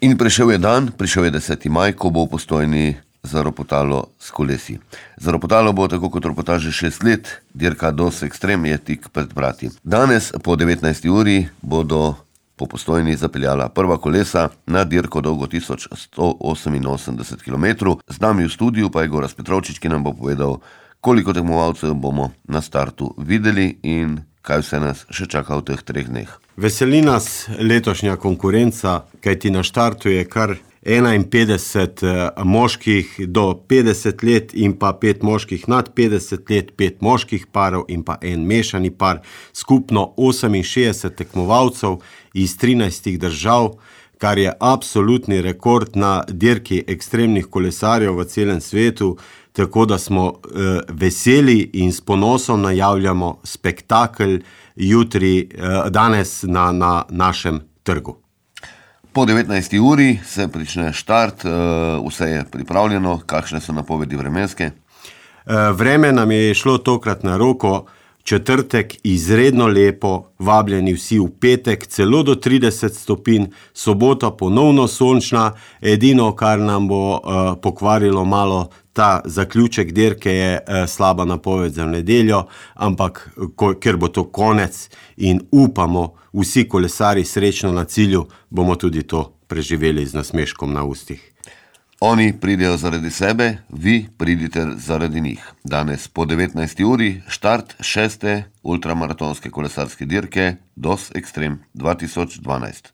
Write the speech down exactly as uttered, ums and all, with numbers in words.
In prišel je dan, prišel je deseti maj, ko bo v Postojni zaropotalo s kolesi. Zaropotalo bo tako kot ropota že šest let, dirka Dos Extreme je tik pred vrati. Danes po devetnajsti uri bodo po Postojni zapeljala prva kolesa na dirko dolgo tisoč sto oseminosemdeset kilometrov. Z nami v studiu pa je Gorazd Petrovčič, ki nam bo povedal, koliko tekmovalcev bomo na startu videli in kaj vse nas še čaka v teh treh dneh. Veseli nas letošnja konkurenca, kajti na štartu je kar enainpetdeset moških do petdeset let in pa pet moških nad petdeset let, pet moških parov in pa en mešani par, skupno oseminšestdeset tekmovalcev iz trinajstih držav, kar je absolutni rekord na dirki ekstremnih kolesarjev v celem svetu, tako da smo eh, veseli in s ponosom najavljamo spektakel jutri, eh, danes na, na našem trgu. Po devetnajsti uri se prične štart, vse je pripravljeno, kakšne so napovedi vremenske? Vreme nam je šlo tokrat na roko, četrtek izredno lepo, vabljeni vsi v petek, celo do trideset stopinj, sobota ponovno sončna, edino, kar nam bo pokvarilo malo ta zaključek dirke, je slaba napoved za nedeljo, ampak ker bo to konec in upamo vsi kolesari srečno na cilju, bomo tudi to preživeli z nasmeškom na ustih. Oni pridejo zaradi sebe, vi pridite zaradi njih. Danes po devetnajsti uri štart šeste ultramaratonske kolesarske dirke Dos Extreme dva tisoč dvanajst.